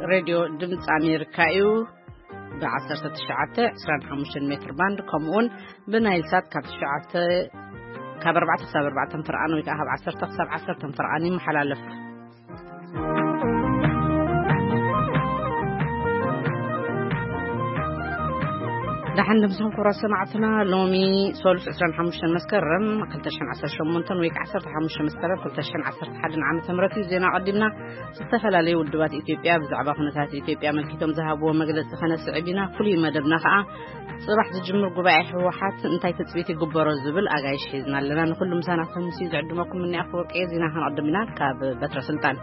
ሬድዮ ድምፂ ኣሜሪካ እዩ። ብ19፣ 25 ሜትር ባንድ፣ ከምኡውን ብናይል ሳት ካብ ትሽዓተ፣ ካብ ኣርባዕተ ክሳብ ኣርባዕተ ፍርቓን ወይ ከዓ ካብ ዓሰርተ ክሳብ ዓሰርተ ፍርቓን ይመሓላለፍ። ደሓን ድምስኹም ክቡራት ሰማዕትና። ሎሚ ሶሉስ ዕስራን ሓሙሽተን መስከረም ክልተ ሽሕን ዓሰርተ ሸሞንተን ወይ ከዓ ዓሰርተ ሓሙሽተ መስከረም ክልተ ሽሕን ዓሰርተ ሓደን ዓመተ ምህረት እዩ። ዜና ቀዲምና። ዝተፈላለዩ ውድባት ኢትዮጵያ ብዛዕባ ኩነታት ኢትዮጵያ ኣመልኪቶም ዝሃብዎ መግለፂ ከነስዕብ ኢና። ፍሉይ መደብና ከዓ ፅባሕ ዝጅምር ጉባኤ ህወሓት እንታይ ትፅቢት ይግበሮ ዝብል ኣጋይሽ ሒዝና ኣለና። ንኩሉ ምሳና ክምሲ ዝዕድመኩም እኒኣ ክወርቅየ። ዜና ከነቐድም ኢና ካብ በትረ ስልጣን።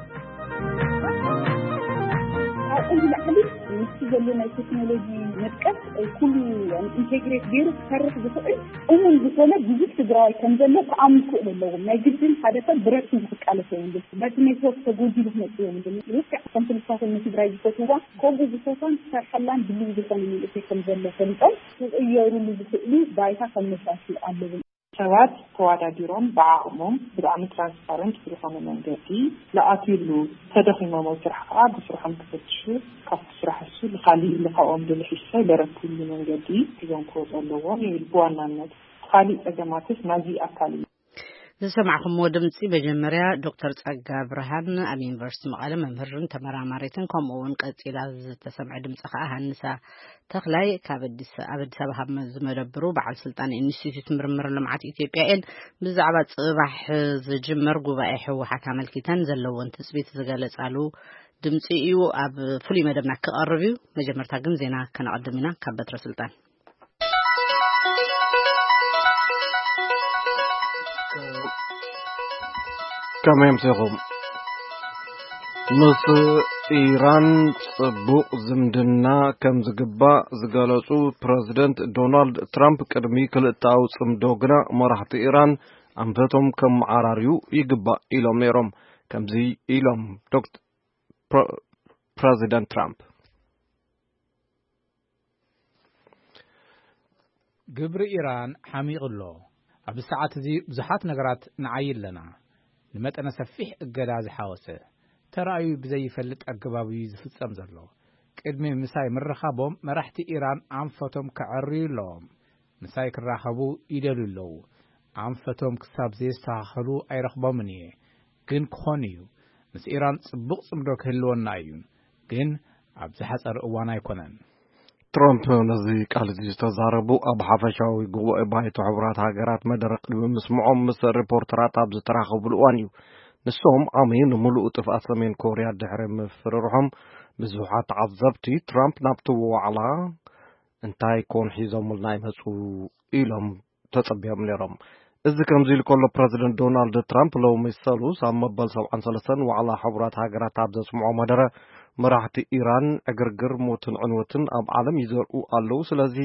ካብኡ ንላዕሊ ምስቲ ዘሎ ናይ ቴክኖሎጂ ምጥቀት ኩሉ ኢንቴግሬት ገይሩ ክሰርሕ ዝኽእል እሙን ዝኾነ ብዙሕ ትግራዋይ ከም ዘሎ ክኣምኑ ክኽእሉ ኣለዎም። ናይ ግድን ሓደ ሰብ ብረድፉ ክቃለስ የብሉን። በቲ ኔትወርክ ተጎጂሉ ክመፅእ የብሉን። ልክዕ ከምቲ ንሳቶም ንትግራይ ዝፈትዋ ከምኡ ዝፈትዋን ዝሰርሐላን ድልው ዝኾነ መንእሰይ ከም ዘሎ ፈሊጦም ክቕየሩሉ ዝኽእሉ ባይታ ከመቻችኡ ኣለዎም። ሰባት ተዋዳዲሮም ብዓቕሞም ብጣዕሚ ትራንስፓረንት ብዝኾነ መንገዲ ዝኣትዩሉ፣ ተደኺሞም ኣብ ስራሕ ከዓ ብስርሖም ክፈትሹ፣ ካብቲ ስራሕ እሱ ንኻሊእ ኢሉ ካብኦም ደልሒሱ ሰብ ደረትሉ መንገዲ ሒዞም ክወፁ ኣለዎም ይብል። ብዋናነት ካሊእ ፀገማትስ ናዚ ኣካል እዩ። ዝሰማዕኹምዎ ድምፂ መጀመርያ ዶክተር ጸጋ ብርሃን ኣብ ዩኒቨርሲቲ መቐለ መምህርን ተመራማሪትን ከምኡ እውን ቀፂላ ዝተሰምዐ ድምፂ ከዓ ሃንሳ ተኽላይ ካብ ኣዲስ ኣብ ኣዲስ ኣበባ ካብ ዝመደብሩ በዓል ስልጣን ኢንስቲትዩት ምርምር ልምዓት ኢትዮጵያ እየን። ብዛዕባ ፅባሕ ዝጅመር ጉባኤ ህወሓት ኣመልኪተን ዘለዎን ትፅቢት ዝገለፃሉ ድምፂ እዩ ኣብ ፍሉይ መደብና ክቐርብ እዩ። መጀመርታ ግን ዜና ከነቐድም ኢና ካብ በትረ ስልጣን። ከመይ ኣምሲኹም? ምስ ኢራን ጽቡቕ ዝምድና ከም ዝግባእ ዝገለጹ ፕረዚደንት ዶናልድ ትራምፕ፣ ቅድሚ ክልተኣዊ ጽምዶ ግና መራሕቲ ኢራን ኣንፈቶም ከመዓራርዩ ይግባእ ኢሎም ነይሮም። ከምዚ ኢሎም ዶክት-፣ ፕረ-፣ ፕረዚደንት ትራምፕ። ግብሪ ኢራን ሓሚቑ ኣሎ። ኣብዚ ሰዓት እዚ ብዙሓት ነገራት ንዓዪ ኣለና። ንመጠነ ሰፊሕ እገዳ ዝሓወሰ፣ ተራእዩ ብዘይፈልጥ ኣገባብ እዩ ዝፍጸም ዘሎ። ቅድሚ ምሳይ ምርኻቦም መራሕቲ ኢራን ኣንፈቶም ከዐርዩ ኣለዎም። ምሳይ ክራኸቡ ይደልዩ ኣለዉ። ኣንፈቶም ክሳብ ዘየስተኻኸሉ ኣይረኽቦምን እየ። ግን ክኾን እዩ። ምስ ኢራን ጽቡቕ ጽምዶ ክህልወና እዩ። ግን ኣብ ዝሓጸረ እዋን ኣይኮነን። ትራምፕ ነዚ ቃል እዚ ዝተዛረቡ ኣብ ሓፈሻዊ ጉባኤ ባይቶ ሕቡራት ሃገራት መደረ ቅድሚ ምስምዖም ምስ ሪፖርተራት ኣብ ዝተራኸቡሉ እዋን እዩ። ንሶም ዓሚ ንምሉእ ጥፍኣት ሰሜን ኮርያ ድሕሪ ምፍርርሖም ብዙሓት ተዓዘብቲ ትራምፕ ናብቲ ዋዕላ እንታይ ኮን ሒዞምልና ይመጹ ኢሎም ተጸቢዮም ነይሮም። እዚ ከምዚ ኢሉ ከሎ ፕረዚደንት ዶናልድ ትራምፕ ሎሚ ሰሉስ ኣብ መበል ሰብዓን ሰለስተን ዋዕላ ሕቡራት ሃገራት ኣብ ዘስምዖ መደረ መራሕቲ ኢራን ዕግርግር ሞትን ዕንወትን ኣብ ዓለም ይዘርኡ ኣለዉ። ስለዚ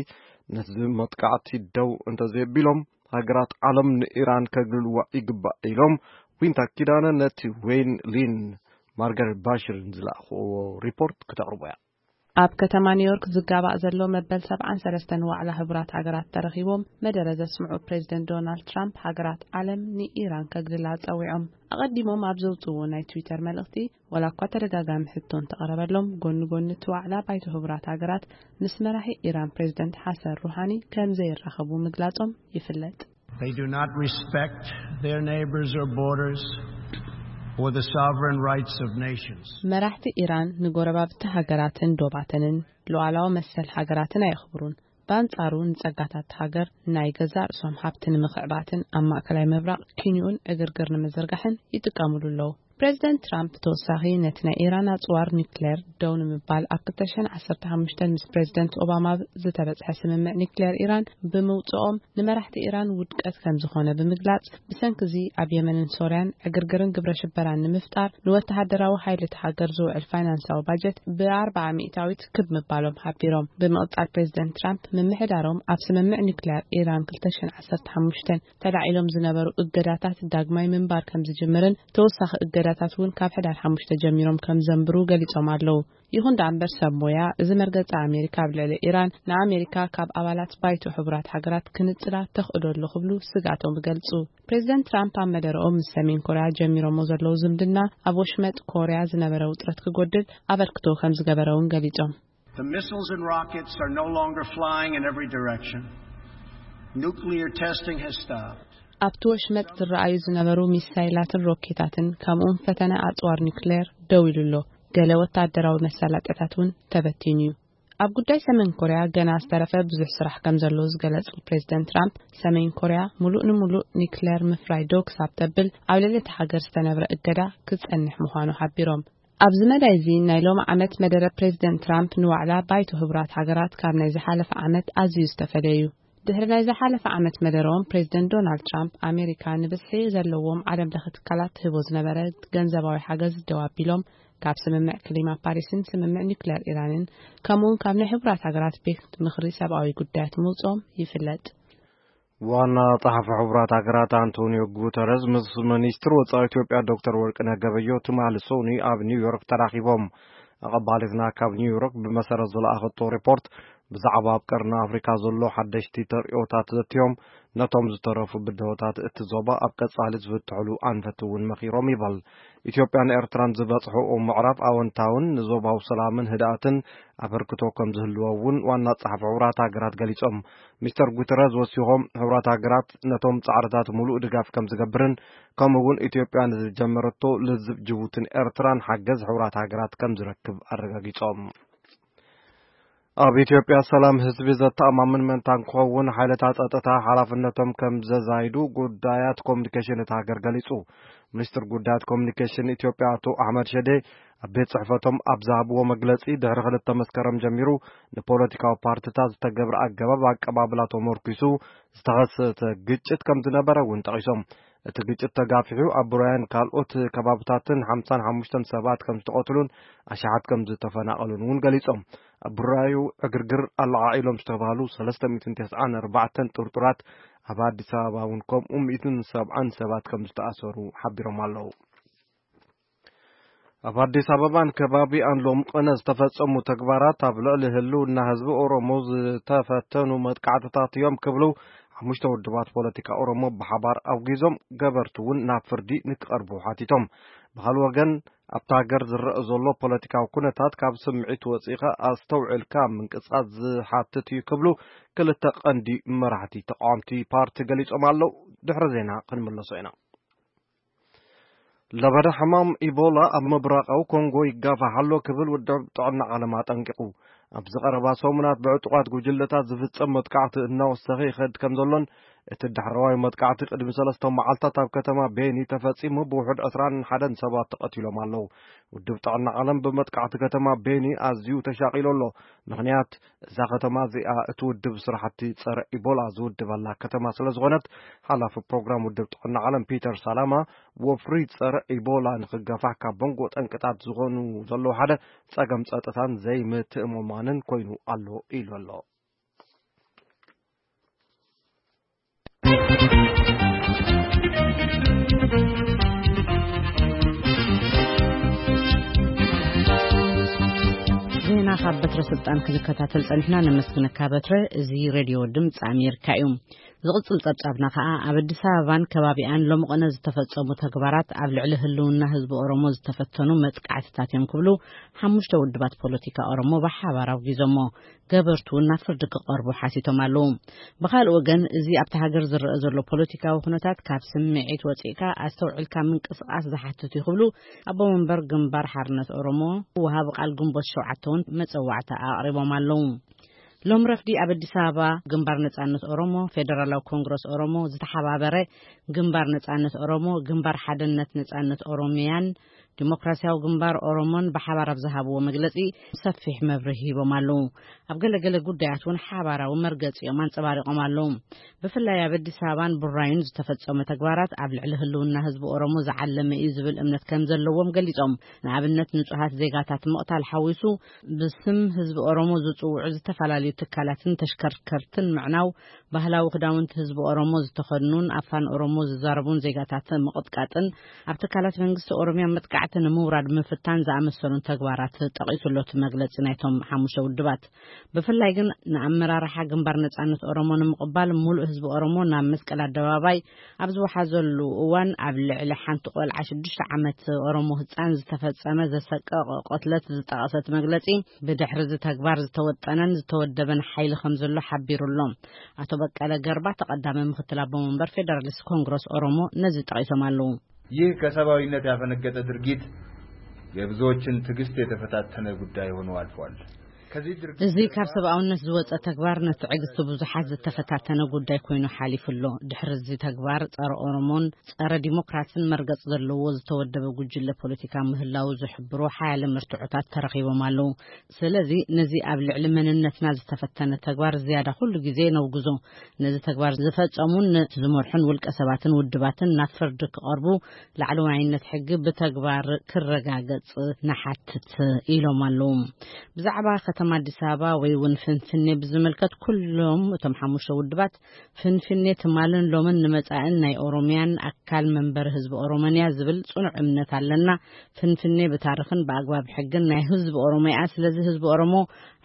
ነዚ መጥቃዕቲ ደው እንተዘየቢሎም ሃገራት ዓለም ንኢራን ከግልልዋ ይግባእ ኢሎም ዊንታ ኪዳነ ነቲ ዌይን ሊን ማርጋሬት ባሽርን ዝለኣኽዎ ሪፖርት ክተቕርቦ እያ። ኣብ ከተማ ኒውዮርክ ዝጋባእ ዘሎ መበል ሰብዓን ሰለስተን ዋዕላ ሕቡራት ሃገራት ተረኺቦም መደረ ዘስምዑ ፕሬዚደንት ዶናልድ ትራምፕ ሃገራት ዓለም ንኢራን ከግልላ ጸዊዖም። ኣቐዲሞም ኣብ ዘውጽዎ ናይ ትዊተር መልእኽቲ፣ ዋላ እኳ ተደጋጋሚ ሕቶ እንተቐረበሎም፣ ጎኒ ጎኒ እቲ ዋዕላ ባይቶ ሕቡራት ሃገራት ምስ መራሒ ኢራን ፕሬዚደንት ሓሰን ሩሃኒ ከም ዘይራኸቡ ምግላጾም ይፍለጥ። They do not respect their neighbors or borders or the sovereign rights of nations. መራሕቲ ኢራን ንጎረባብቲ ሃገራትን ዶባተንን ሉዓላዊ መሰል ሃገራትን ኣየኽብሩን። ብኣንጻሩ ንጸጋታት ሃገር ናይ ገዛእ ርእሶም ሃብቲ ንምኽዕባትን ኣብ ማእከላይ ምብራቕ ኪንኡን ዕግርግር ንምዝርጋሕን ይጥቀሙሉ ኣለዉ። ፕሬዚደንት ትራምፕ ብተወሳኺ ነቲ ናይ ኢራን ኣጽዋር ኒክሌር ደው ንምባል ኣብ ክልተ ሽሕን ዓሰርተ ሓሙሽተን ምስ ፕሬዚደንት ኦባማ ዝተበጽሐ ስምምዕ ኒክሌር ኢራን ብምውጽኦም ንመራሕቲ ኢራን ውድቀት ከም ዝኾነ ብምግላጽ፣ ብሰንኪ እዚ ኣብ የመንን ሶርያን ዕግርግርን ግብረ ሽበራን ንምፍጣር ንወተሃደራዊ ሓይሊ እቲ ሃገር ዝውዕል ፋይናንሳዊ ባጀት ብኣርብዓ ሚእታዊት ክብ ምባሎም ሓቢሮም። ብምቕጻል ፕሬዚደንት ትራምፕ ምምሕዳሮም ኣብ ስምምዕ ኒክሌር ኢራን ክልተ ሽሕን ዓሰርተ ሓሙሽተን ተላዒሎም ዝነበሩ እገዳታት ዳግማይ ምንባር ከም ዝጅምርን ተወሳኺ እገዳ መሳለጥያታት እውን ካብ ሕዳር ሓሙሽተ ጀሚሮም ከም ዘንብሩ ገሊጾም ኣለዉ። ይኹን ደኣ እምበር፣ ሰብ ሞያ፣ እዚ መርገጺ ኣሜሪካ ኣብ ልዕሊ ኢራን ንኣሜሪካ ካብ ኣባላት ባይቶ ሕቡራት ሃገራት ክንጽላ ተኽእሎ ኣሎ ክብሉ ስግኣቶም ይገልጹ። ፕሬዚደንት ትራምፕ ኣብ መደረኦም ምስ ሰሜን ኮርያ ጀሚሮሞ ዘለዉ ዝምድና ኣብ ወሽመጥ ኮርያ ዝነበረ ውጥረት ክጎድል ኣበርክቶ ከም ዝገበረ እውን ገሊጾም። The missiles and rockets are no longer flying in every direction. Nuclear testing has stopped. ኣብቲ ወሽመጥ ዝረኣዩ ዝነበሩ ሚሳይላትን ሮኬታትን፣ ከምኡውን ፈተነ ኣጽዋር ኒውክሌር ደው ኢሉ ኣሎ። ገለ ወታደራዊ መሳለጥያታት እውን ተበቲኑ እዩ። ኣብ ጉዳይ ሰሜን ኮርያ ገና ዝተረፈ ብዙሕ ስራሕ ከም ዘሎ ዝገለጹ ፕሬዚደንት ትራምፕ፣ ሰሜን ኮርያ ሙሉእ ንሙሉእ ኒውክሌር ምፍራይ ደው ክሳብ ተብል ኣብ ልዕሊ እታ ሃገር ዝተነብረ እገዳ ክጸንሕ ምዃኑ ሓቢሮም። ኣብዚ መዳይ እዚ ናይ ሎሚ ዓመት መደረ ፕሬዚደንት ትራምፕ ንዋዕላ ባይቶ ሕቡራት ሃገራት ካብ ናይ ዝሓለፈ ዓመት ኣዝዩ ዝተፈለየ እዩ። ድሕሪ ናይ ዝሓለፈ ዓመት መደረኦም፣ ፕሬዚደንት ዶናልድ ትራምፕ ኣሜሪካ ንብዝሒ ዘለዎም ዓለም ለኸ ትካላት ትህቦ ዝነበረ ገንዘባዊ ሓገዝ ደው ኣቢሎም፣ ካብ ስምምዕ ክሊማ ፓሪስን ስምምዕ ኒውክሌር ኢራንን፣ ከምኡውን ካብ ናይ ሕቡራት ሃገራት ቤት ምኽሪ ሰብኣዊ ጉዳያት ምውፅኦም ይፍለጥ። ዋና ጸሓፊ ሕቡራት ሃገራት ኣንቶኒዮ ጉተረዝ ምስ ሚኒስትር ወጻኢ ኢትዮጵያ ዶክተር ወርቅነህ ገበዮ ትማሊ ሰኑይ ኣብ ኒውዮርክ ተራኺቦም። ኣቐባሊትና ካብ ኒውዮርክ ብመሰረት ዝለኣኸቶ ሪፖርት፣ ብዛዕባ ኣብ ቀርኒ ኣፍሪካ ዘሎ ሓደሽቲ ተርእዮታት ዘትዮም፣ ነቶም ዝተረፉ ብድሆታት እቲ ዞባ ኣብ ቀጻሊ ዝፍትሕሉ ኣንፈት እውን መኺሮም ይበል። ኢትዮጵያን ኤርትራን ዝበጽሕኦ ምዕራፍ ኣወንታውን ንዞባዊ ሰላምን ህድኣትን ኣበርክቶ ከም ዝህልዎ እውን ዋና ጸሓፊ ሕቡራት ሃገራት ገሊጾም። ሚስተር ጉተረዝ ወሲኾም፣ ሕቡራት ሃገራት ነቶም ጻዕርታት ምሉእ ድጋፍ ከም ዝገብርን፣ ከምኡ እውን ኢትዮጵያ ንዝጀመረቶ ልዝብ ጅቡትን ኤርትራን ሓገዝ ሕቡራት ሃገራት ከም ዝረክብ ኣረጋጊጾም። ኣብ ኢትዮጵያ ሰላም ህዝቢ ዘተኣማምን ምእንታን ክኸውን፣ ሓይልታት ጸጥታ ሓላፍነቶም ከም ዘዛይዱ ጉዳያት ኮሚኒኬሽን እታ ሃገር ገሊጹ። ሚኒስትር ጉዳያት ኮሚኒኬሽን ኢትዮጵያ ኣቶ ኣሕመድ ሸዴ ኣብ ቤት ጽሕፈቶም ኣብ ዝሃብዎ መግለጺ፣ ድሕሪ ክልተ መስከረም ጀሚሩ ንፖለቲካዊ ፓርቲታት ዝተገብረ ኣገባብ ኣቀባብላ ተመርኲሱ ዝተኸሰተ ግጭት ከም ዝነበረ እውን ጠቒሶም። እቲ ግጭት ተጋፊሑ ኣብ ቡራያን ካልኦት ከባብታትን ሓምሳን ሓሙሽተን ሰባት ከም ዝተቐትሉን ኣሽሓት ከም ዝተፈናቐሉን እውን ገሊጾም። ኣብ ቡራዩ ዕግርግር ኣለዓዒሎም ዝተባህሉ ሰለስተ ሚእትን ተስዓን ኣርባዕተን ጥርጡራት፣ ኣብ ኣዲስ ኣበባ እውን ከምኡ ሚእትን ሰብዓን ሰባት ከም ዝተኣሰሩ ሓቢሮም ኣለዉ። ኣብ ኣዲስ ኣበባን ከባቢኣን ሎም ቅነ ዝተፈጸሙ ተግባራት ኣብ ልዕሊ ህልውና ህዝቢ ኦሮሞ ዝተፈተኑ መጥቃዕትታት እዮም ክብሉ ሓሙሽተ ውድባት ፖለቲካ ኦሮሞ ብሓባር ኣውጊዞም፣ ገበርቲ እውን ናብ ፍርዲ ንክቐርቡ ሓቲቶም። ብኻልእ ወገን፣ ኣብታ ሃገር ዝረአ ዘሎ ፖለቲካዊ ኩነታት ካብ ስምዒት ወጺእኻ ኣስተውዒልካ ምንቅስቓስ ዝሓትት እዩ ክብሉ ክልተ ቀንዲ መራሕቲ ተቃወምቲ ፓርቲ ገሊጾም ኣለዉ። ድሕሪ ዜና ክንምለሶ ኢና። ለበዳ ሕማም ኢቦላ ኣብ ምብራቓዊ ኮንጎ ይጋፋሕ ኣሎ ክብል ውድብ ጥዕና ዓለም ኣጠንቂቑ። ኣብዚ ቀረባ ሰሙናት ብዕጡቓት ጉጅለታት ዝፍጸም መጥቃዕቲ እናወሰኸ ይኸድ ከም ዘሎን፣ እቲ ዳሕረዋይ መጥቃዕቲ ቅድሚ ሰለስተ መዓልታት ኣብ ከተማ ቤኒ ተፈጺሙ፣ ብውሑድ ዕስራን ሓደን ሰባት ተቐቲሎም ኣለዉ። ውድብ ጥዕና ዓለም ብመጥቃዕቲ ከተማ ቤኒ ኣዝዩ ተሻቒሉ ኣሎ። ምኽንያት፣ እዛ ከተማ እዚኣ እቲ ውድብ ስራሕቲ ጸረ ኢቦላ ዝውድበላ ከተማ ስለ ዝኾነት፣ ሓላፊ ፕሮግራም ውድብ ጥዕና ዓለም ፒተር ሳላማ፣ ወፍሪ ጸረ ኢቦላ ንኽገፋሕ ካብ መንጎ ጠንቅታት ዝኾኑ ዘለዉ ሓደ ጸገም ጸጥታን ዘይምትእምማንን ኮይኑ ኣሎ ኢሉ ኣሎ። ዜና ካብ በትረ ስልጣን ክንከታተል ጸኒሕና፣ ነመስግነካ በትረ። እዚ ሬድዮ ድምፂ ኣሜሪካ እዩ። ዝቕጽል ጸብጻብና ከኣ፣ ኣብ ኣዲስ ኣበባን ከባቢኣን ሎምቕነ ዝተፈጸሙ ተግባራት ኣብ ልዕሊ ህልውና ህዝቢ ኦሮሞ ዝተፈተኑ መጥቃዕትታት እዮም ክብሉ ሓሙሽተ ውድባት ፖለቲካ ኦሮሞ ብሓባር ኣውጊዞሞ። ገበርቱ እውን ናብ ፍርዲ ክቐርቡ ሓቲቶም ኣለዉ። ብኻልእ ወገን፣ እዚ ኣብታ ሃገር ዝረአ ዘሎ ፖለቲካዊ ኩነታት ካብ ስምዒት ወጺእካ ኣስተውዒልካ ምንቅስቓስ ዝሓትት እዩ ክብሉ ኣቦ መንበር ግንባር ሓርነት ኦሮሞ፣ ወሃቢ ቃል ግንቦት ሸውዓተ እውን መጸዋዕታ ኣቕሪቦም ኣለዉ። ሎም ረፍዲ ኣብ ኣዲስ ኣበባ ግንባር ነጻነት ኦሮሞ፣ ፌደራላዊ ኮንግረስ ኦሮሞ፣ ዝተሓባበረ ግንባር ነጻነት ኦሮሞ፣ ግንባር ሓድነት ነጻነት ኦሮሚያን ዲሞክራሲያዊ ግንባር ኦሮሞን ብሓባር ኣብ ዝሃብዎ መግለጺ ሰፊሕ መብርሂ ሂቦም ኣለዉ። ኣብ ገለገለ ጉዳያት እውን ሓባራዊ መርገጺኦም ኣንጸባሪቖም ኣለዉ። ብፍላይ ኣብ ኣዲስ ኣበባን ቡራዩን ዝተፈጸመ ተግባራት ኣብ ልዕሊ ህልውና ህዝቢ ኦሮሞ ዝዓለመ እዩ ዝብል እምነት ከም ዘለዎም ገሊጾም፣ ንኣብነት ንጹሃት ዜጋታት ምቕታል ሓዊሱ ብስም ህዝቢ ኦሮሞ ዝጽውዑ ዝተፈላለዩ ትካላትን ተሽከርከርትን ምዕናው፣ ባህላዊ ክዳውንቲ ህዝቢ ኦሮሞ ዝተኸድኑን ኣፋን ኦሮሞ ዝዛረቡን ዜጋታት ምቕጥቃጥን ኣብ ትካላት መንግስቲ ኦሮሚያ መጥቃዕቲ ንምውራድ ምፍታን ዝኣመሰሉን ተግባራት ጠቒሱ ኣሎ እቲ መግለጺ ናይቶም ሓሙሽተ ውድባት። ብፍላይ ግን ንኣመራርሓ ግንባር ነጻነት ኦሮሞ ንምቕባል ሙሉእ ህዝቢ ኦሮሞ ናብ መስቀል ኣደባባይ ኣብ ዝወሓዘሉ እዋን፣ ኣብ ልዕሊ ሓንቲ ቆልዓ ሽዱሽተ ዓመት ኦሮሞ ህጻን ዝተፈጸመ ዘሰቀቕ ቅትለት ዝጠቐሰት መግለጺ፣ ብድሕሪ እዚ ተግባር ዝተወጠነን ዝተወደበን ሓይሊ ከም ዘሎ ሓቢሩ ኣሎ። ኣቶ በቀለ ገርባ፣ ተቐዳሚ ምክትል ኣቦ መንበር ፌደራሊስት ኮንግረስ ኦሮሞ፣ ነዚ ጠቒሶም ኣለዉ። ይህ ከሰብአዊነት ያፈነገጠ ድርጊት የብዙዎችን ትዕግስት የተፈታተነ ጉዳይ ሆኖ አልፏል። ከዚህ ድርጊት እዚ ጀርባ ካብ ሰብኣውነት ዝወጸ ተግባር ንትዕግስቲ ብዙሓት ዝተፈታተነ ጉዳይ ኮይኑ ሓሊፉ ኣሎ። ድሕሪ እዚ ተግባር ጸረ ኦሮሞን ጸረ ዲሞክራሲን መርገጽ ዘለዎ ዝተወደበ ጉጅለ ፖለቲካ ምህላው ዝሕብሩ ሓያለ መርትዖታት ተረኺቦም ኣለዉ። ስለዚ ነዚ ኣብ ልዕሊ መንነትና ዝተፈተነ ተግባር ዝያዳ ኩሉ ግዜ ነውግዞ። ነዚ ተግባር ዝፈጸሙን ነቲ ዝመርሑን ውልቀ ሰባትን ውድባትን ናብ ፍርዲ ክቐርቡ ላዕለዋይነት ሕጊ ብተግባር ክረጋገጽ ንሓትት ኢሎም ኣለዉ። ብዛዕባ ከተማ ኣዲስ ኣበባ ወይ እውን ፍንፍኔ ብዝምልከት ኩሎም እቶም ሓሙሽተ ውድባት ፍንፍኔ ትማልን ሎምን ንመጻእን ናይ ኦሮሚያን ኣካል መንበሪ ህዝቢ ኦሮሞን እያ ዝብል ጽኑዕ እምነት ኣለና። ፍንፍኔ ብታሪኽን ብኣግባብ ሕግን ናይ ህዝቢ ኦሮሞ እያ። ስለዚ ህዝቢ ኦሮሞ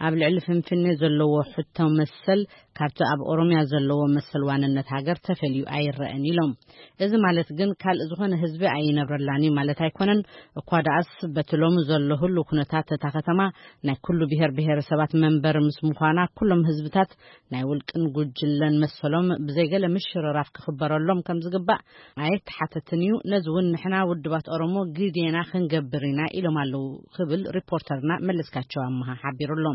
ኣብ ልዕሊ ፍንፍኔ ዘለዎ ሕቶ መሰል ካብቲ ኣብ ኦሮሚያ ዘለዎ መሰል ዋንነት ሃገር ተፈልዩ ኣይረአን ኢሎም። እዚ ማለት ግን ካልእ ዝኾነ ህዝቢ ኣይነብረላን እዩ ማለት ኣይኮነን። እኳ ደኣስ በቲ ሎሚ ዘሎ ህሉ ኩነታት እታ ከተማ ናይ ኩሉ ብሔር ብሔረሰባት መንበሪ ምስ ምዃና ኩሎም ህዝብታት ናይ ውልቅን ጉጅለን መሰሎም ብዘይገለ ምሽርራፍ ክኽበረሎም ከም ዝግባእ ኣየተሓተትን እዩ። ነዚ እውን ንሕና ውድባት ኦሮሞ ግዴና ክንገብር ኢና ኢሎም ኣለዉ ክብል ሪፖርተርና መለስካቸው ኣመሃ ሓቢሩ ኣሎ።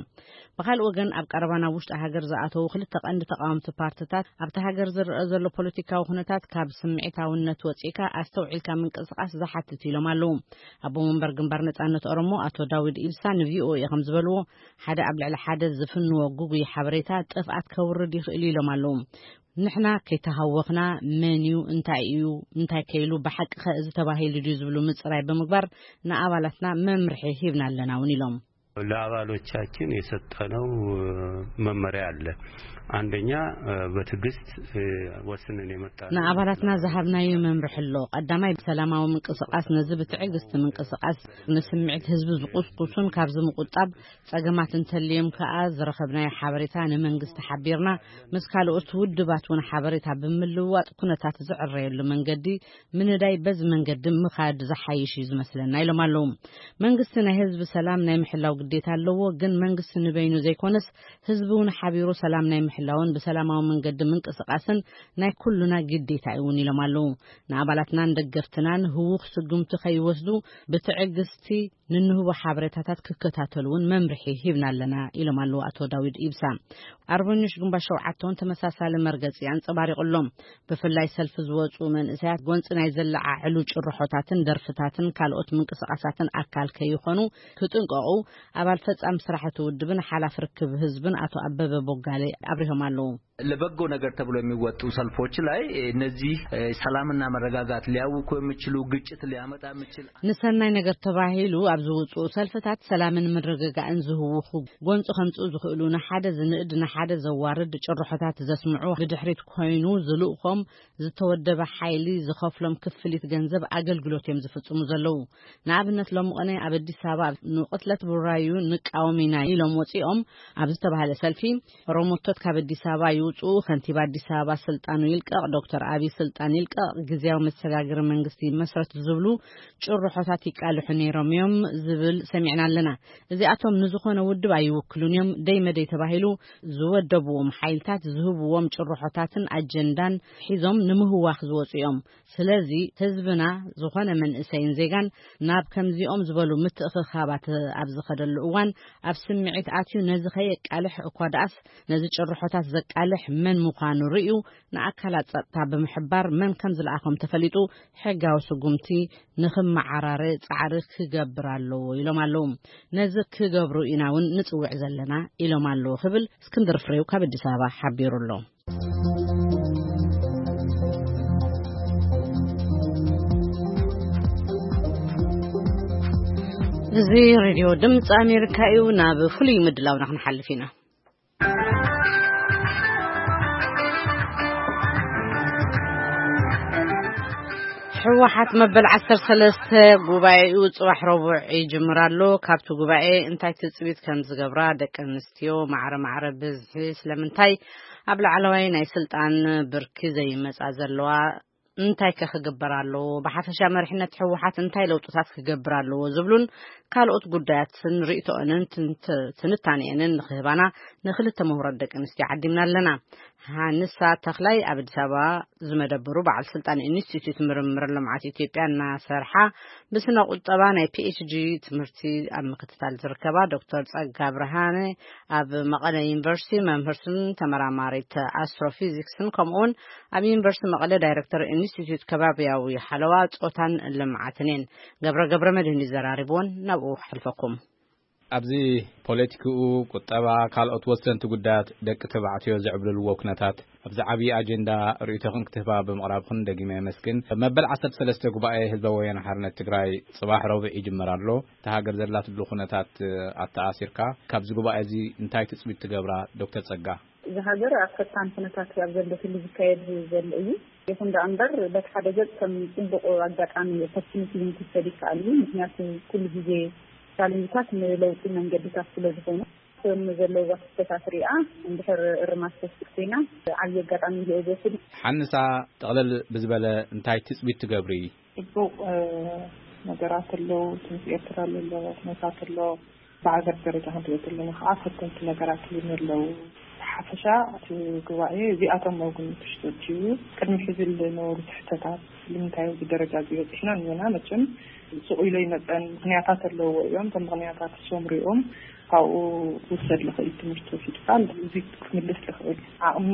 ብኻልእ ወገን ኣብ ቀረባ ናብ ውሽጢ ሃገር ዝኣተዉ ክልተ ቀንዲ ተቃወምቲ ፓርትታት ኣብቲ ሃገር ዝረአ ዘሎ ፖለቲካዊ ኩነታት ካብ ስምዒታውነት ወፂእካ ኣስተውዒልካ ምንቅስቃስ ዝሓትት ኢሎም ኣለዉ። ኣቦ መንበር ግንባር ነጻነት ኦሮሞ ኣቶ ዳዊድ ኢብሳ ንቪኦኤ ከም ዝበልዎ ሓደ ኣብ ልዕሊ ሓደ ዝፍንዎ ጉጉይ ሓበሬታ ጥፍኣት ከውርድ ይኽእል ኢሎም ኣለዉ። ንሕና ከይተሃወኽና መን እዩ እንታይ እዩ እንታይ ከይሉ ብሓቂ ከ እዚ ተባሂሉ ድዩ ዝብሉ ምፅራይ ብምግባር ንኣባላትና መምርሒ ሂብና ኣለና እውን ኢሎም። ለአባሎቻችን የሰጠነው መመሪያ አለ። አንደኛ በትዕግስት ወስነን የመጣ ንኣባላትና ዝሃብናዮ መምርሒ ኣሎ። ቀዳማይ ብሰላማዊ ምንቅስቃስ ነዚ ብትዕግስቲ ምንቅስቃስ ንስምዒት ህዝቢ ዝቁስቁሱን ካብዚ ምቁጣብ ጸገማት እንተልዮም ከኣ ዝረኸብናዮ ሓበሬታ ንመንግስቲ ሓቢርና ምስ ካልኦት ውድባት እውን ሓበሬታ ብምልውዋጥ ኩነታት ዝዕረየሉ መንገዲ ምንዳይ በዚ መንገዲ ምኻድ ዝሓይሽ እዩ ዝመስለና ኢሎም ኣለዉ። መንግስቲ ናይ ህዝቢ ሰላም ናይ ምሕላው ግዴታ ኣለዎ፣ ግን መንግስቲ ንበይኑ ዘይኮነስ ህዝቢ እውን ሓቢሩ ሰላም ናይ ምሕላውን ብሰላማዊ መንገዲ ምንቅስቃስን ናይ ኩሉና ግዴታ እዩ እውን ኢሎም ኣለዉ። ንኣባላትናን ደገፍትናን ህዉኽ ስጉምቲ ከይወስዱ ብትዕግስቲ ንንህቦ ሓበሬታታት ክከታተሉ እውን መምርሒ ሂብና ኣለና ኢሎም ኣለዉ ኣቶ ዳዊድ ኢብሳ። ኣርበኞች ግንባር ሸውዓተ እውን ተመሳሳሊ መርገጺ ኣንጸባሪቑ ኣሎ። ብፍላይ ሰልፊ ዝወጹ መንእሰያት ጎንጺ ናይ ዘለዓዕሉ ጭርሖታትን ደርፍታትን ካልኦት ምንቅስቃሳትን ኣካል ከይኾኑ ክጥንቀቑ ኣባል ፈጻሚ ስራሕ እቲ ውድብን ሓላፊ ርክብ ህዝብን ኣቶ ኣበበ ቦጋሌ ኣብሪሆም ኣለዉ። ለበጎ ነገር ተብሎ የሚወጡ ሰልፎች ላይ እነዚህ ሰላምና መረጋጋት ሊያውኩ የሚችሉ ግጭት ሊያመጣ የሚችል ንሰናይ ነገር ተባሂሉ ኣብ ዝውፅኡ ሰልፍታት ሰላምን ምርግጋእን ዝህውኹ ጎንፂ ከምፅኡ ዝኽእሉ ንሓደ ዝንእድ ንሓደ ዘዋርድ ጭርሖታት ዘስምዑ ብድሕሪት ኮይኑ ዝልእኾም ዝተወደበ ሓይሊ ዝኸፍሎም ክፍሊት ገንዘብ ኣገልግሎት እዮም ዝፍፅሙ ዘለዉ። ንኣብነት ሎሚ ቅነ ኣብ ኣዲስ ኣበባ ንቕትለት ቡራዩ ንቃወም ኢና ኢሎም ወፂኦም ኣብ ዝተባሃለ ሰልፊ ሮሞቶት ካብ ኣዲስ ኣበባ ይውፅኡ፣ ከንቲባ ኣዲስ ኣበባ ስልጣኑ ይልቀቕ፣ ዶክተር ኣብይ ስልጣን ይልቀቕ፣ ግዝያዊ መሰጋገሪ መንግስቲ ይመስረት ዝብሉ ጭርሖታት ይቃልሑ ነይሮም እዮም ዝብል ሰሚዕና ኣለና። እዚኣቶም ንዝኾነ ውድብ ኣይውክሉን እዮም። ደይ መደይ ተባሂሉ ዝወደብዎም ሓይልታት ዝህብዎም ጭርሖታትን ኣጀንዳን ሒዞም ንምህዋኽ ዝወፁ እዮም። ስለዚ ህዝብና ዝኾነ መንእሰይን ዜጋን ናብ ከምዚኦም ዝበሉ ምትእኽኻባት ኣብ ዝኸደሉ እዋን ኣብ ስምዒት ኣትዩ ነዚ ከየቃልሕ እኳ ደኣስ ነዚ ጭርሖታት ዘቃልሕ መን ምዃኑ ርእዩ ንኣካላት ጸጥታ ብምሕባር መን ከም ዝለኣኾም ተፈሊጡ ሕጋዊ ስጉምቲ ንኽመዓራረ ጻዕሪ ክገብር ኣለዎ ኢሎም ኣለዉ። ነዚ ክገብሩ ኢና እውን ንጽውዕ ዘለና ኢሎም ኣለዉ ክብል እስክንድር ፍሬው ካብ ኣዲስ ኣበባ ሓቢሩ ኣሎ። እዚ ሬድዮ ድምፂ ኣሜሪካ እዩ። ናብ ፍሉይ ምድላውና ክንሓልፍ ኢና። ህወሓት መበል ዓሰርተ ሰለስተ ጉባኤኡ ጽባሕ ረቡዕ ይጅምር ኣሎ። ካብቲ ጉባኤ እንታይ ትጽቢት ከም ዝገብራ ደቂ ኣንስትዮ ማዕረ ማዕረ ብዝሒ ስለምንታይ ኣብ ላዕለዋይ ናይ ስልጣን ብርኪ ዘይመጻ ዘለዋ እንታይ ከ ክግበር ኣለዎ፣ ብሓፈሻ መሪሕነት ህወሓት እንታይ ለውጥታት ክገብር ኣለዎ ዝብሉን ካልኦት ጉዳያትን ርእይቶኦንን ትንት-፣ ትንታኔኦንን ንክህባና ንክልተ ምሁራት ደቂ ኣንስትዮ ዓዲምና ኣለና። ሃንሳ ተኽላይ ኣብ ኣዲስ ኣበባ ዝመደበሩ በዓል ስልጣን ኢንስቲትዩት ምርምር ልምዓት ኢትዮጵያ እናሰርሓ ብስነ ቁጠባ ናይ ፒ ኤች ዲ ትምህርቲ ኣብ ምክትታል ዝርከባ ዶክተር ጸጋ ብርሃነ ኣብ መቐለ ዩኒቨርሲቲ መምህርትን ተመራማሪት ኣስትሮፊዚክስን ከምኡውን ኣብ ዩኒቨርሲቲ መቐለ ዳይሬክተር ኢንስቲትዩት ከባብያዊ ሓለዋ ጾታን ልምዓትን እየን። ገብረ ገብረ መድህን እዩ ዘራሪብዎን፣ ናብኡ ክሕልፈኩም። ኣብዚ ፖለቲክኡ፣ ቁጠባ፣ ካልኦት ወሰንቲ ጉዳያት ደቂ ተባዕትዮ ዝዕብልልዎ ኩነታት ኣብዚ ዓብዪ ኣጀንዳ ርእይቶኽን ክትህባ ብምቕራብኽን ደጊመ የመስግን። መበል ዓሰርተ ሰለስተ ጉባኤ ህዝባዊ ወያነ ሓርነት ትግራይ ጽባሕ ረቡዕ ይጅመር ኣሎ። እታ ሃገር ዘላትሉ ኩነታት ኣተኣሲርካ ካብዚ ጉባኤ እዚ እንታይ ትጽቢት ትገብራ ዶክተር ጸጋ? እዛ ሃገር ኣብ ፈታን ኩነታት ኣብ ዘለትሉ ዝካየድ ዘሎ እዩ። ይኹን ደኣ እምበር፣ በቲ ሓደ ገጽ ከም ጽቡቕ ኣጋጣሚ ኦፖርቹኒቲ እውን ክውሰድ ይከኣል እዩ። ምኽንያቱ ኩሉ ግዜ ቻሌንጅታት ንለውጢ መንገድታት ስለ ዝኾኑ፣ ከም ዘለዋ ክስተታት ሪኣ እንድሕር እርማት ተወስድ ኮይና፣ ዓብዪ ኣጋጣሚ ኢለ እየ ዝወስድ። ሓንሳ፣ ጠቕለል ብዝበለ እንታይ ትጽቢት ትገብሪ? ጽቡቕ፣ እ፣ ነገራት ኣለዉ። ትምህርቲ ኤርትራ ኣሎ፣ ኩነታት ኣሎ። ብሃገር ደረጃ ክንሪኦ ከለና ከዓ ፈተንቲ ነገራት እውን ኣለዉ። ብሓፈሻ እቲ ጉባኤ እዚኣቶም ኣብ ግምት ውሽጢ ኣእትዩ እዩ። ቅድሚ ሕዚ ዝነበሩ ትሕተታት፣ ንምንታይ ኣብዚ ደረጃ እዚ በፂሕና እኒና፣ መቸም ስቕ ኢሉ ኣይመፀን። ምኽንያታት ኣለዎ እዮም። እቶም ምኽንያታት እሶም ሪኦም ካብኡ ክውሰድ ዝኽእል ትምህርቲ ወሲድካ እዚ ክምልስ ዝኽእል ዓቕሚ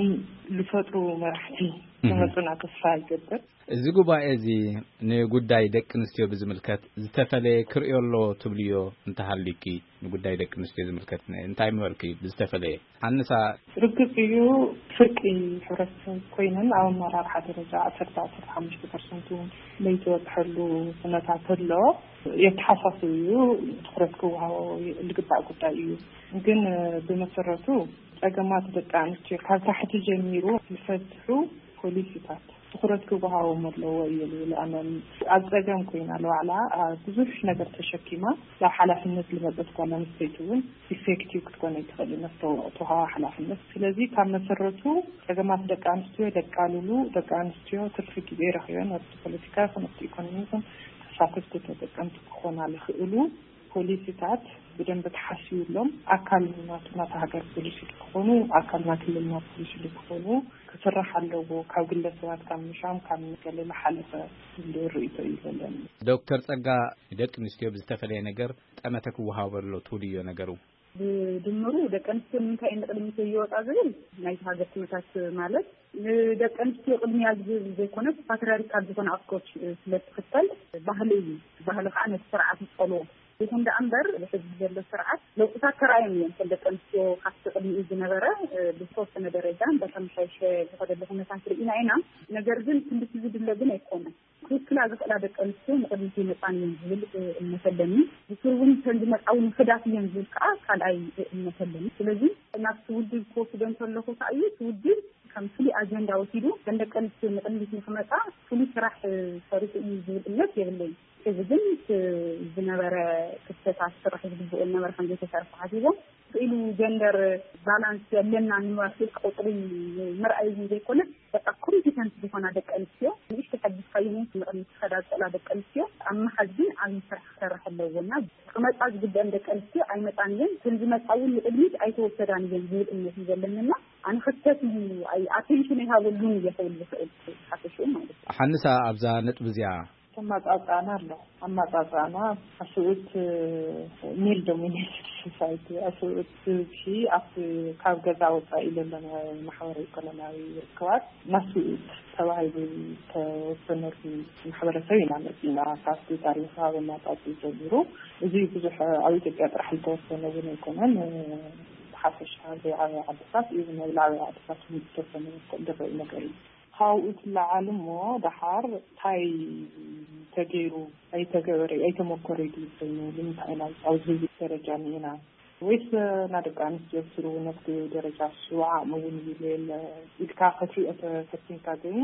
ዝፈጥሩ መራሕቲ እህ። ክመፁና ተስፋ ይገብር። እዚ ጉባኤ እዚ ንጉዳይ ደቂ ኣንስትዮ ብዝምልከት ዝተፈለየ ክርእዮ ኣሎ ትብልዮ እንተሃልዩኪ፣ ንጉዳይ ደቂ ኣንስትዮ ዝምልከት እንታይ ምበልኪ ብዝተፈለየ? ሓንሳ። ርግጽ እዩ፣ ፍርቂ ሕብረተሰብ ኮይነን ኣብ ኣመራርሓ ደረጃ ዓሰርተ፣ ዓሰርተ ሓሙሽተ ፐርሰንት እውን ለይተበጽሐሉ ኩነታት ኣሎ። የተሓሳስብ እዩ፣ ትኹረት ክወሃቦ ዝግባእ ጉዳይ እዩ። ግን ብመሰረቱ ጸገማት ደቂ ኣንስትዮ ካብ ታሕቲ ጀሚሩ ዝፈትሑ ፖሊሲታት ትኹረት ክወሃቦም ኣለዎ እየ ዝብል። ኣነ ኣብ ጸገም ኮይና ንባዕላ፣ አ፣ ብዙሕ ነገር ተሸኪማ ናብ ሓላፍነት ዝመጸት ጓል ኣንስተይቲ እውን ኢፌክቲቭ ክትኮን ኣይትኽእልን ኣብቲ ተዋሃባ ሓላፍነት። ስለዚ ካብ መሰረቱ ጸገማት ደቂ ኣንስትዮ ደቃልሉ፣ ደቂ ኣንስትዮ ትርፊ ግዜ ረኺበን ኣብቲ ፖለቲካ ይኹን ኣብቲ ኢኮኖሚ ይኹን ተሳተፍቲ ተጠቀምቲ ክኾና ዝኽእሉ ፖሊሲታት ብደንቢ ተሓሲቡሎም፣ ኣካል ናቱ ናታ ሃገር ፖሊሲ ክኾኑ፣ ኣካል ናይ ክልልና ፖሊሲ ክኾኑ ክስራሕ ኣለዎ። ካብ ግለሰባት፣ ካብ ምሻም፣ ካብ ገለ ዝሓለፈ ዝብል ርእይቶ እዩ ዘለኒ። ዶክተር ጸጋ፣ ደቂ ኣንስትዮ ብዝተፈለየ ነገር ጠመተ ክወሃቦ ኣሎ ትብልዮ ነገሩ? ብድምሩ ደቂ ኣንስትዮ ንምንታይ እየን ንቕድሚት ዘይወጻ ዝብል ናይቲ ሃገር ኩነታት፣ ማለት ንደቂ ኣንስትዮ ቅድሚያ ዝብል ዘይኮነስ ፓትሪያርካል ዝኾነ ኣፕሮች ስለ ትኽተል ባህሊ እዩ። ባህሊ ከዓ ነቲ ስርዓት ይጸልዎ። ይኹን ደኣ እምበር፣ ሕዚ ዘሎ ስርዓት ለውጥታት ተራእዮም እዮም። ከም ደቂ ኣንስትዮ ካብቲ ቅድሚኡ ዝነበረ፣ እ፣ ብዝተወሰነ ደረጃ እንዳተመሓየሸ ዝኸደሉ ኩነታት ርኢና ኢና። ነገር ግን ክንድቲ ዝድለ ግን ኣይኮነን። ክውክላ ዝኽእላ ደቂ ኣንስትዮ ንቕድሚት ይመጻን እየን ዝብል፣ እ፣ እምነት ኣለኒ። ብሱር እውን ከም ዝመጻ እውን ውሑዳት እየን ዝብል ከዓ ካልኣይ እምነት ኣለኒ። ስለዚ ናብቲ ውድብ ክወስዶ እንተለኹ ከዓ እዩ፣ እቲ ውድብ ከም ፍሉይ ኣጀንዳ ወሲዱ፣ እተን ደቂ ኣንስትዮ ንቕድሚት ንክመጻ ፍሉይ ስራሕ፣ እ፣ ሰሪሑ እዩ ዝብል እምነት የብለይን። እዚ ግን እቲ ዝነበረ ክፍተታት ክስራሕ ዝግብኦ ዝነበረ ከም ዘይተሰርሐ ሓሲቦም፣ ክኢሉ ጀንደር ባላንስ ኣለና ንምባል ስልክ ቁፅሪ ምርኣይ እውን ዘይኮነ፣ በቃ ኮምፒተንት ዝኾና ደቂ ኣንስትዮ ንእሽተይ ሓጊዝካየን ንቕድሚት ክኸዳ ዝኽእላ ደቂ ኣንስትዮ ኣብ ምሓዝ ግን ዓብዪ ስራሕ ክሰርሕ ኣለዎ እና ክመፃ ዝግበአን ደቂ ኣንስትዮ ኣይመፃን እየን፣ እተን ዝመፃ እውን ንቕድሚት ኣይተወሰዳን እየን ዝብል እምነት እዩ ዘለኒ እና ኣነ ክፍተት እዩ፣ ኣይ-፣ ኣቴንሽን ኣይሃበሉን እየ ክብል ዝኽእል ሓፈሽኡ ማለት እዩ። ሓንሳ ኣብዛ ነጥቢ እዚኣ ኣማጻጽኣና ኣሎ። ኣማጻጽኣና ኣስውት ሜል ዶሚኔትድ ሶሳይቲ፣ ኣስውት ብዝሒ ኣብቲ ካብ ገዛ ወጻኢ ዘሎ ማሕበረ ኢኮኖሚያዊ ርክባት ናስውት ተባሂሉ ዝተወሰነሉ ማሕበረሰብ ኢና መጺና። ካብቲ ታሪኻዊ ኣመጻጽኡ ጀሚሩ፣ እዚ ብዙሕ ኣብ ኢትዮጵያ ጥራሕ ዝተወሰነ እውን ኣይኮነን። ብሓፈሻ ኣብ ዘይዓበያ ዓድታት እዩ፣ ኣብ ላዕበያ ዓድታት እውን ዝተወሰነ ዝረኣይ ነገር እዩ። ካብኡ ትለዓል እሞ፣ ደሓር እንታይ ተገይሩ፣ ኣይተገበረ ኣይተመኮረ ድዩ ኮይኑ፣ ንምንታይ ኢና ኣብዚ ደረጃ እኒኤና? ወይስ ናይ ደቂ ኣንስትዮ ስሩ ነፍቲ ደረጃ እሱ ዓቕሚ እውን ይብል የለ ኢልካ ክትሪኦ ተፈቲንካ፣ ግን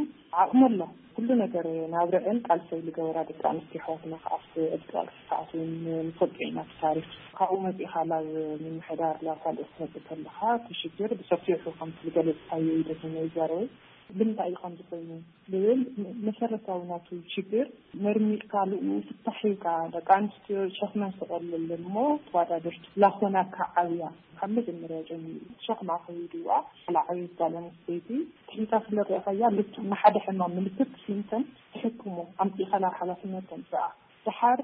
ዓቕሚ ኣሎ። ኩሉ ነገር ናብረአን ቃልሰይ ዝገበራ ደቂ ኣንስትዮ ኣሕዋትና ከኣ ኣብቲ ዕጥቂ ሰዓት እውን ንፈልጦ ኢና። እቲ ታሪኽ ካብኡ መጺኻ ናብ ምምሕዳር ናብ ካልኦት ትመጽእ ከለኻ፣ እቲ ሽግር ብሰፊሑ ከምቲ ዝገለጽካዮ እዩ ደስ ዝዛረበ። ብምንታይ እዩ ከምዚ ኮይኑ ዝብል መሰረታዊ ናቱ ሽግር መርሚርካ ልኡ ፍታሕ ሂብካ፣ ደቂ ኣንስትዮ ሸኽመን ስቐለለን እሞ ተወዳደርቲ ላኾናካ ዓብያ ካብ መጀመርያ ጀሚሩ ሸኽማ ከይድዋ። ላዕበይቲ ጓል ኣንስተይቲ ትሒታ ስለ ርኢኻያ፣ ልክዕ ንሓደ ሕማም ምልክት ሲምተም ትሕክሞ ኣምፂእኻ ናብ ሓላፍነት ተምፅኣ። ደሓር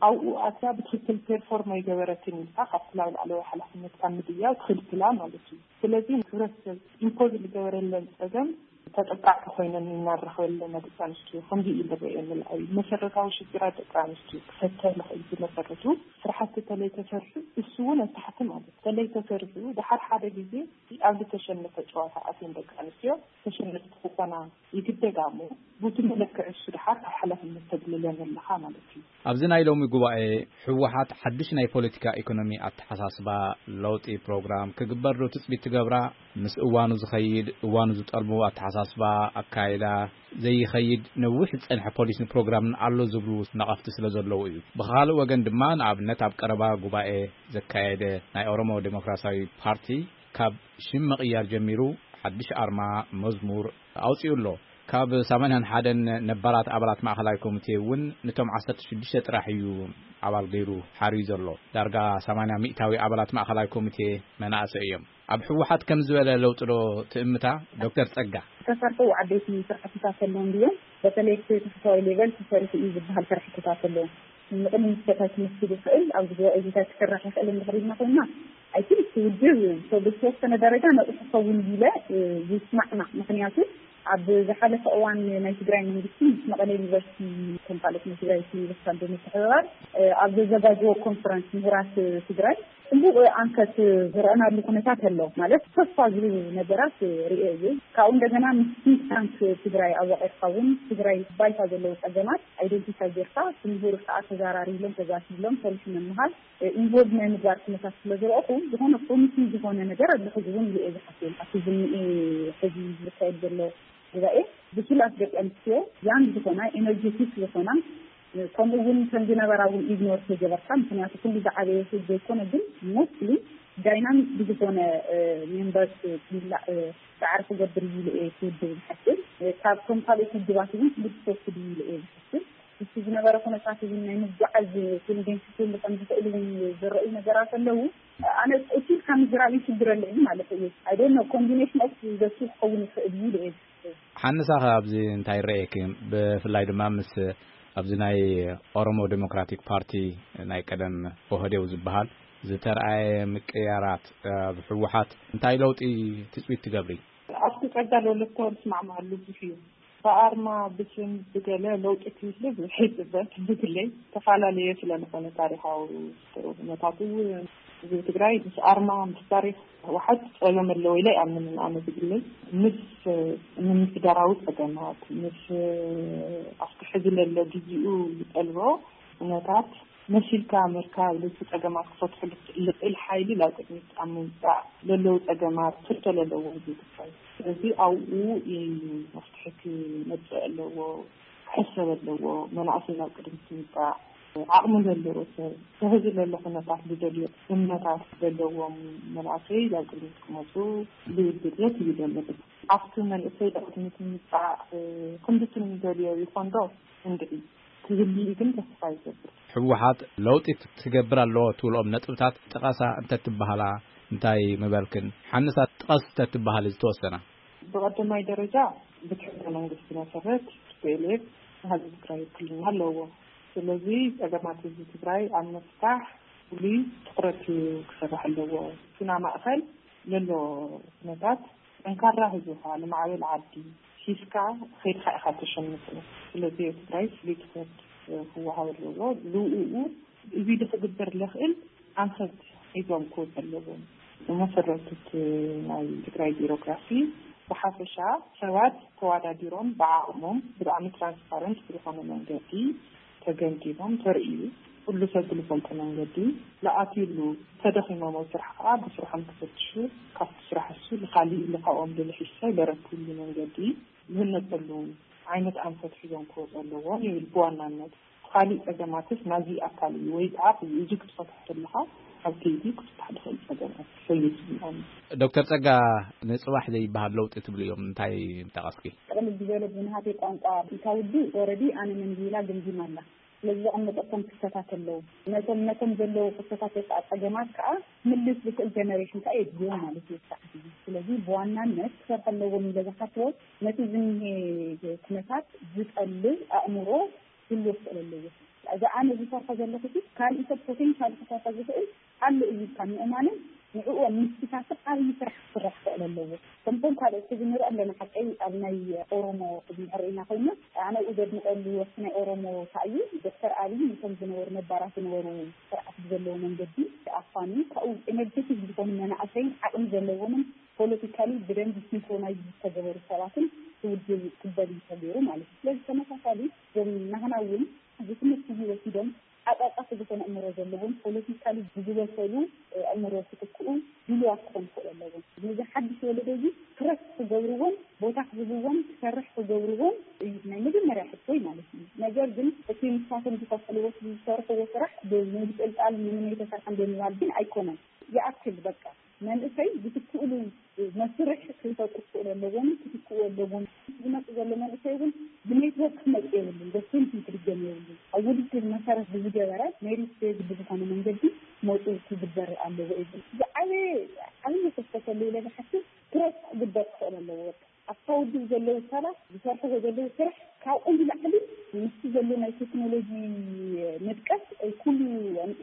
ኣብኡ ኣትያ ብትኽክል ፔርፎርም ኣይገበረትን ኢልካ ካብቲ ናብ ላዕለዋይ ሓላፍነትካ ምድያው ትኽልክላ ማለት እዩ። ስለዚ ሕብረተሰብ ኢምፖዝ ዝገበረለን ጸገም ተጠቃዕቲ ኮይነን እናረኸበ ኣለና። ደቂ ኣንስትዮ ከምዚ እዩ ዝረአየኒ። ልዓቢ መሰረታዊ ሽግራት ደቂ ኣንስትዮ ክፈተ ልኽእል ዝመሰረቱ ስራሕቲ ተለይተሰርሑ፣ እሱ እውን ኣብ ታሕቲ ማለት ተለይተሰርሑ፣ ደሓር ሓደ ግዜ ኣብ ዝተሸነፈ ጨዋታ ኣትየን ደቂ ኣንስትዮ ተሸነፍቲ ክኾና ይግደዳ እሞ፣ በቲ መለክዒ እሱ ደሓር ካብ ሓላፍነት ተግልለን ኣለኻ ማለት እዩ። ኣብዚ ናይ ሎሚ ጉባኤ፣ ህወሓት ሓድሽ ናይ ፖለቲካ ኢኮኖሚ ኣተሓሳስባ ለውጢ ፕሮግራም ክግበር ዶ ትጽቢት ትገብራ? ምስ እዋኑ ዝኸይድ፣ እዋኑ ዝጠልቦ ኣተሓሳስባ፣ ኣካይዳ ዘይኸይድ ነዊሕ ዝጸንሐ ፖሊስን ፕሮግራምን ኣሎ ዝብሉ ነቐፍቲ ስለ ዘለዉ እዩ። ብኻልእ ወገን ድማ፣ ንኣብነት ኣብ ቀረባ ጉባኤ ዘካየደ ናይ ኦሮሞ ዴሞክራሲያዊ ፓርቲ ካብ ሽም ምቕያር ጀሚሩ ሓድሽ ኣርማ፣ መዝሙር ኣውጺኡ ኣሎ። ካብ ሰማንያን ሓደን ነባራት ኣባላት ማእኸላይ ኮሚቴ እውን ነቶም ዓሰርተ ሽዱሽተ ጥራሕ እዩ ኣባል ገይሩ ሓርዩ ዘሎ። ዳርጋ ሰማንያ ሚእታዊ ኣባላት ማእኸላይ ኮሚቴ መናእሰይ እዮም። ኣብ ህወሓት ከም ዝበለ ለውጢ ዶ ትእምታ ዶክተር ጸጋ? ዝተሰርሑ ዓበይቲ ስራሕትታት ኣለዉ እንድዮም። በተለይ እቲ ታሕተዋይ ሌቨል ተሰሪሑ እዩ ዝበሃል ስራሕትታት ኣለዉ። ንቕድሚት ከታይ ክምስል ይኽእል፣ ኣብዚ ጉባኤ እዚታት ክስራሕ ይኽእል እንድሕር ኢልና ኮይንና፣ ኣይ ቲንክ እቲ ውድብ ብዝተወሰነ ደረጃ ነቕሑ ክኸውን ኢለ ይስማዕና። ምኽንያቱ ኣብ ዝሓለፈ እዋን ናይ ትግራይ መንግስቲ ምስ መቐለ ዩኒቨርሲቲ ከም ካልኦት ናይ ትግራይ ዩኒቨርሲቲታት ብምትሕብባር ኣብ ዘዘጋጀዎ ኮንፈረንስ ምሁራት ትግራይ ጽቡቕ ኣንፈት ዝረኣናሉ ኩነታት ኣሎ። ማለት ተስፋ ዝህቡ ነገራት ርእየ እየ። ካብኡ እንደገና ምስ ቲንክ ታንክ ትግራይ ኣዋቒርካ እውን ትግራይ ባይታ ዘለዉ ጸገማት ኣይደንቲፋይ ጌርካ ብምሁር ከዓ ተዘራሪብሎም ተዛቲብሎም ሰሪሑ ምምሃር ኢንቮልቭ ናይ ምግባር ኩነታት ስለ ዝረእኹ ዝኾነ ፕሮሚሲንግ ዝኾነ ነገር ኣሎ ሕዚ እውን ኢለ እየ ዝሓስብ። ኣብቲ ዝኒኤ ሕዚ ዝካየድ ዘሎ ጉባኤ ብሱላት ደቂ ኣንስትዮ ያንግ ዝኾና ኤነርጀቲክ ዝኾና ከምኡ እውን ከም ዝነበራ እውን ኢግኖር ተገበርካ። ምክንያቱ ኩሉ ዝዓበየ ህዝብ ዘይኮነ ግን ሞስትሊ ዳይናሚክ ብዝኾነ ሜምበርስ ክምላእ ፃዕሪ ክገብር እዩ ኢለ እየ ክውድብ ዝሓስብ። ካብቶም ካልኦት ውድባት እውን ፍሉጥ ሰልፊ ድዩ ኢለ እየ ዝሓስብ። እቲ ዝነበረ ኩነታት እውን ናይ ምጉዓዝ ቴንደንሲ ክህሉ ከም ዝኽእል እውን ዝረእዩ ነገራት ኣለዉ። ኣነ እቲ ኢልካ ምዝራብ ይሽግረለይ ማለት እዩ። ኣይ ዶንት ኖ ኮምቢኔሽን ኦፍ ዘቱ ክኸውን ይኽእል እዩ ኢለ እየ ዝሓስብ። ሓንሳኸ ኣብዚ እንታይ ይረኣየኪ? ብፍላይ ድማ ምስ ኣብዚ ናይ ኦሮሞ ዴሞክራቲክ ፓርቲ ናይ ቀደም ኦህዴው ዝበሃል ዝተረኣየ ምቅያራት ኣብ ህወሓት እንታይ ለውጢ ትፅቢት ትገብሪ? ኣብቲ ጸጋ ለወለቶ ዝስማዕማዓሉ ብዙሕ እዩ። ብኣርማ ብስም ብገለ ለውጢ ክህሉ ብዙሕ ይጽበ። ብግለይ ዝተፈላለየ ስለ ዝኾነ ታሪኻዊ ኩነታቱ ህዝቢ ትግራይ ምስ ኣርማ ምስ ታሪኽ ህወሓት ጸገም ኣለዎ ኢለ ኣይኣምንን። ኣነ ብግለይ ምስ ምምሕዳራዊ ጸገማት ምስ ኣብቲ ሕዚ ለሎ ግዚኡ ዝጠልቦ ኩነታት መሲልካ ምርካብ፣ ልቲ ጸገማት ክፈትሑ ልኽእል ሓይሊ ናብ ቅድሚት ኣብ ምምጻእ ለለዉ ጸገማት ፍቶ ለለዎ ህዝቢ ትግራይ። ስለዚ ኣብኡ እዩ መፍትሒ ክመጽእ ኣለዎ፣ ክሕሰብ ኣለዎ። መናእሰይ ናብ ቅድሚት ምምጻእ፣ ዓቕሚ ዘለዎ ሰብ፣ ከህዚ ለሎ ኩነታት ዝደልዮ እምነታት ዘለዎም መናእሰይ ናብ ቅድሚት ክመጹ ዝብል ድልየት እዩ ዘለኒ። ኣብቲ መንእሰይ ናብ ቅድሚት ምምጻእ ክንድቲ ንደልዮ ይኾን ዶ? እንድዒ ክህልዩ ግን ተስፋ ይገብር። ህወሓት ለውጢ ትገብር ኣለዎ ትብልኦም ነጥብታት ጥቀሳ እንተትበሃላ እንታይ ምበልክን? ሓንሳት ጥቀስ እንተትበሃሊ ዝተወሰና። ብቐዳማይ ደረጃ ብቲ ሕገ መንግስቲ መሰረት ቲ ፒ ኤል ኤፍ ህዝቢ ትግራይ ውክልና ኣለዎ። ስለዚ ጸገማት ህዝቢ ትግራይ ኣብ ምፍታሕ ፍሉይ ትኹረት ክስራሕ ኣለዎ። እቲ ናይ ማእኸል ዘሎ ኩነታት፣ ጠንካራ ህዝቢ ከዓ ንማዕበል ዓዲ ሒዝካ ኸይድካ ኢኻ ተሸንፉ። ስለዚ ኣብ ትግራይ ፍሉይ ትኹረት ክወሃብ ኣለዎ። ልኡኡ እዚ ክግበር ለኽእል ኣንፈት ሒዞም ክወፁ ኣለዎም። ብመሰረቱ ናይ ትግራይ ቢሮክራሲ ብሓፈሻ ሰባት ተዋዳዲሮም ብዓቕሞም ብጣዕሚ ትራንስፓረንት ብዝኾነ መንገዲ ተገምጊሞም ተርእዩ፣ ኩሉ ሰብ ብዝፈልጦ መንገዲ ዝኣትዩሉ፣ ተደኺሞም ኣብ ስራሕ ከዓ ብስርሖም ክፈትሹ፣ ካብቲ ስራሕ እሱ ንካሊእ ኢሉ ካብኦም ልልሒሰ ለረክብሉ መንገዲ ዝህነፀሉ ዓይነት ኣንፈት ሒዞም ክወፁ ኣለዎም ይብል ብዋናነት። ካሊእ ጸገማትስ ናዚ ኣካል እዩ ወይ ከዓ እዚ ክትፈትሖ ከለኻ ኣብ ከይዲ ክፍታሕ ዝኽእል ጸገማት ሰይድ ዝብሎም። ዶክተር ጸጋ፣ ንጽባሕ ዘይበሃል ለውጢ ትብሉ እዮም፣ እንታይ ምጠቐስኪ? ጥቕልል ዝበለ ብናሃተይ ቋንቋ እንታውዲ ኦረዲ ኣነ መንዚላ ግምጊም ኣላ። ስለዚ ዘቐመጠቶም ክስተታት ኣለዉ። ነቶም ነቶም ዘለዉ ክስተታት ወይ ከዓ ጸገማት ከዓ ምልስ ዝኽእል ጀነሬሽን ከዓ የድልዮም ማለት እዩ። ስርዓት እዩ። ስለዚ ብዋናነት ክሰርሐ ኣለዎም ኢለ ዝሓስቦ ነቲ ዝኒሄ ኩነታት ዝጠልብ ኣእምሮ ክህልዎ ክኽእል ኣለዎ። እዚ ኣነ ዝሰርሖ ዘለኹ ሲ ካልእ ሰብ ፖቴንሻል ክሰርሖ ዝኽእል ኣሎ እዩ ኢልካ ምእማንን ንዕኡ ኣብ ምትሳሰብ ዓብዪ ስራሕ ክስራሕ ክኽእል ኣለዎ። ከምቶም ካልኦት ሕዚ ንርኢ ኣለና ሓቀይ ኣብ ናይ ኦሮሞ ሕዚ ንርኢ ኢና ኮይና ኣነ ኣብኡ ዘድንቐሉ ወሲ ናይ ኦሮሞ ታእዩ ዶክተር ኣብይ ነቶም ዝነበሩ ነባራት ዝነበሩ ስርዓት ብዘለዎ መንገዲ ኣፋኒ ካብኡ ኤነርጀቲክ ዝኾኑ መናእሰይን ዓቕሚ ዘለዎምን ፖለቲካሊ ብደንቢ ሲንክሮናይዝ ዝተገበሩ ሰባትን ክውድብ ክበል ተገይሩ ማለት እዩ። ስለዚ ተመሳሳሊ እዞም ናህና እውን እዚ ትምህርቲ እዚ ወሲዶም ዓቃቃፊ ዝኾነ እምሮ ዘለዎም ፖለቲካሊ ብዝበሰሉ እምሮ ክትክኡ ድሉዋት ክኾኑ ክኽእሉ ኣለዎም። ነዚ ሓድሽ ወለዶ እዚ ትረስት ክገብርዎም፣ ቦታ ክህብዎም፣ ክሰርሕ ክገብርዎም እዩ ናይ መጀመርያ ሕቶይ ማለት እዩ። ነገር ግን እቲ ንሳቶም ዝኸፈለዎ ዝሰርሕዎ ስራሕ ብምንጥልጣል ምንም ኣይተሰርሐን ብምባል ግን ኣይኮነን። ይኣክል በቃ መንእሰይ ዝትክእሉ መስርሕ ክፈጥሩ ክኽእሉ ኣለዎም፣ ክትክኡ ኣለዎም። ዝመጽእ ዘሎ መንእሰይ እውን ብኔትወርክ ክመጽእ የብሉን፣ በስንት ክድገም የብሉን። ኣብ ውድድር መሰረት ብዝገበረ ሜሪት ቤዝድ ብዝኾነ መንገዲ ክመጹ ክግበር ኣለዎ እዩ። ዝዓበየ ዓብዪ ክፍተት ኣሎ ኢለ ዝሓስብ ትረስት ክግበር ክኽእል ኣለዎ። በቃ ኣብታ ውድብ ዘለዉ ሰባት ዝሰርሕዎ ዘለዉ ስራሕ ካብኦም ንላዕሊ ምስቲ ዘሎ ናይ ቴክኖሎጂ ምጥቀስ ኩሉ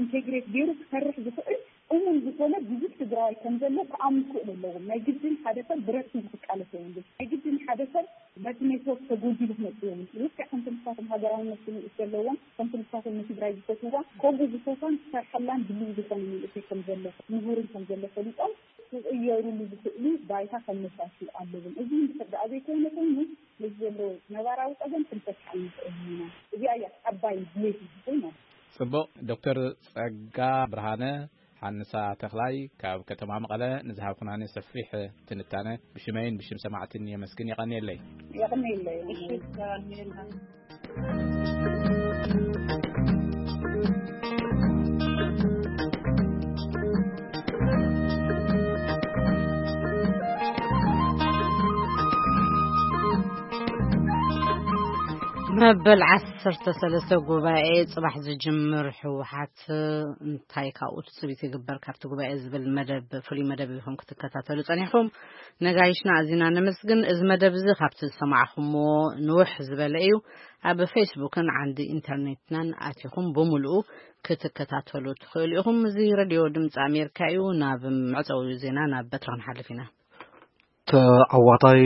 ኢንቴግሬት ገይሩ ክሰርሕ ዝኽእል እሙን ዝኾነ ብዙሕ ትግራዋይ ከም ዘሎ ክኣምኑ ክኽእሉ ኣለዎም። ናይ ግድን ሓደ ሰብ ብረት ሒዙ ክቃለስ የብሉን። ናይ ግድን ሓደ ሰብ በቲ ኔትወርክ ተጎጂሉ ክመጽእ የብሉን። ልክዕ ከምቲ ንሳቶም ሃገራውነት ስምዒት ዘለዎም፣ ከምቲ ንሳቶም ንትግራይ ዝፈትውዋ፣ ከምኡ ዝፈትዋን ዝሰርሐላን ድልው ዝኾነ መንእሰይ ከም ዘሎ፣ ምሁርን ከም ዘሎ ፈሊጦም ክቕየሩሉ ዝኽእሉ ባይታ ከመቻችው ኣለዎም። እዚ እንድሕር ደኣ ዘይኮይኑ ኮይኑ፣ ነዚ ዘሎ ነባራዊ ጸገም ክንፈትሕ ኣይንኽእልን ኢና። እዚኣ እያ ዓባይ ድሌት ዝኾይና። ጽቡቕ። ዶክተር ጸጋ ብርሃነ ሓንሳ ተኽላይ ካብ ከተማ መቐለ ንዝሃብኩናኒ ሰፊሕ ትንታነ ብሽመይን ብሽም ሰማዕትን የመስግን። የቐንየለይ። የቐንየለይ። መበል ዓሰርተ ሰለስተ ጉባኤ ጽባሕ ዝጅምር ህወሓት እንታይ ካብኡ ትጽቢት ይግበር ካብቲ ጉባኤ ዝብል መደብ፣ ፍሉይ መደብ ኢኹም ክትከታተሉ ጸኒሕኩም። ነጋይሽና ኣዚና ነመስግን። እዚ መደብ እዚ ካብቲ ዝሰማዕኹምዎ ንውሕ ዝበለ እዩ። ኣብ ፌስቡክን ዓንዲ ኢንተርኔትናን ኣቲኹም ብምሉኡ ክትከታተሉ ትኽእሉ ኢኹም። እዚ ሬድዮ ድምፂ ኣሜሪካ እዩ። ናብ መዕፀዊ ዜና ናብ በትሪ ክንሓልፍ ኢና። ተዓዋታይ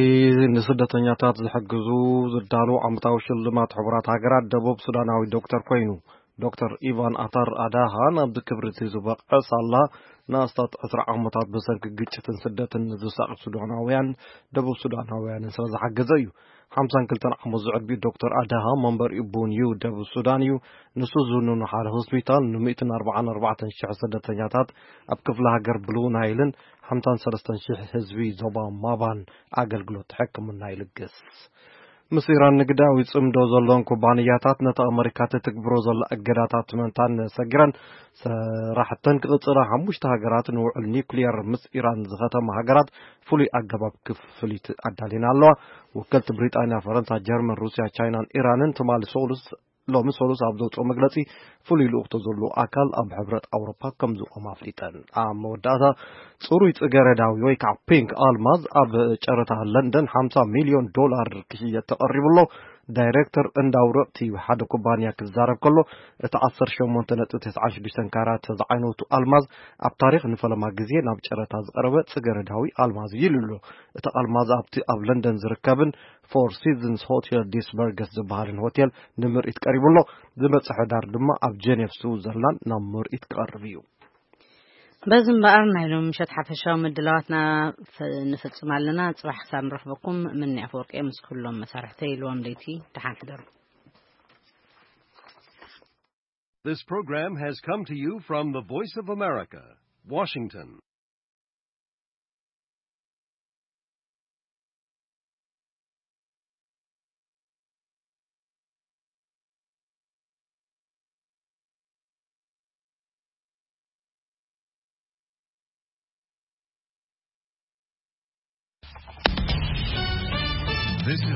ንስደተኛታት ዝሕግዙ ዝዳሎ ዓመታዊ ሽልማት ሕቡራት ሃገራት ደቡብ ሱዳናዊ ዶክተር ኮይኑ። ዶክተር ኢቫን ኣታር ኣዳሃ ናብዚ ክብሪ እቲ ዝበቕዐ ሳላ ንኣስታት ዕስራ ዓመታት ብሰንኪ ግጭትን ስደትን ንዝሳቐዩ ሱዳናውያን ደቡብ ሱዳናውያንን ስለ ዝሓገዘ እዩ። ሓምሳን ክልተን ዓመት ዝዕድሚኡ ዶክተር ኣዳሃ መንበሪኡ ቡን ዩ ደቡብ ሱዳን እዩ። ንሱ ዝውንኑ ሓደ ሆስፒታል ንሚእትን ኣርባዓን ኣርባዕተን ሽሕ ስደተኛታት ኣብ ክፍለ ሃገር ብሉ ናይልን ሓምሳን ሰለስተን ሽሕ ህዝቢ ዞባ ማባን ኣገልግሎት ሕክምና ይልግስ። ምስ ኢራን ንግዳዊ ጽምዶ ዘለዎን ኩባንያታት ነቲ ኣመሪካ ትትግብሮ ዘላ እገዳታት ምእንታን ሰጊረን፣ ስራሕተን ክቕጽላ ሓሙሽተ ሃገራት ንውዕል ኒውክሊየር ምስ ኢራን ዝኸተማ ሃገራት ፍሉይ ኣገባብ ክፍሊት ኣዳሊና ኣለዋ። ወከልቲ ብሪጣንያ፣ ፈረንሳ፣ ጀርመን፣ ሩስያ፣ ቻይናን ኢራንን ትማሊ ሰሉስ ሎሚ ሰሉስ ኣብ ዘውፅኦ መግለፂ፣ ፍሉይ ልኡኽቶ ዘለዎ ኣካል ኣብ ሕብረት ኣውሮፓ ከም ዝቖም ኣፍሊጠን። ኣብ መወዳእታ፣ ጽሩይ ጽገረዳዊ ወይ ከዓ ፒንክ ኣልማዝ ኣብ ጨረታ ለንደን ሓምሳ ሚልዮን ዶላር ክሽየጥ ተቐሪቡ ኣሎ። ዳይሬክተር እንዳውረቕቲ ሓደ ኩባንያ ክዛረብ ከሎ፣ እቲ ዓሰርተ ሸሞንተ ነጥቢ ተስዓን ሽዱሽተን ካራት ዝዓይነቱ ኣልማዝ ኣብ ታሪኽ ንፈለማ ግዜ ናብ ጨረታ ዝቐረበ ጽገረዳዊ ኣልማዝ እዩ ኢሉ ኣሎ። እቲ ኣልማዝ ኣብቲ ኣብ ለንደን ዝርከብን ፎር ሲዝንስ ሆቴል ዲስበርገስ ዝበሃልን ሆቴል ንምርኢት ቀሪቡ ኣሎ። ዝመጽእ ሕዳር ድማ ኣብ ጀኔቭ ስዊዘርላንድ ናብ ምርኢት ክቐርብ እዩ። በዚ እምበኣር ናይ ሎም ምሸት ሓፈሻዊ ምድላዋትና ንፍጽም ኣለና። ጽባሕ ክሳብ ንረኽበኩም ምኒ ኣፈወርቂ ምስ ኩሎም መሳርሕተይ ኢልዎም ለይቲ ደሓን ሕደሩ። This program has come to you from the Voice of America, Washington. This is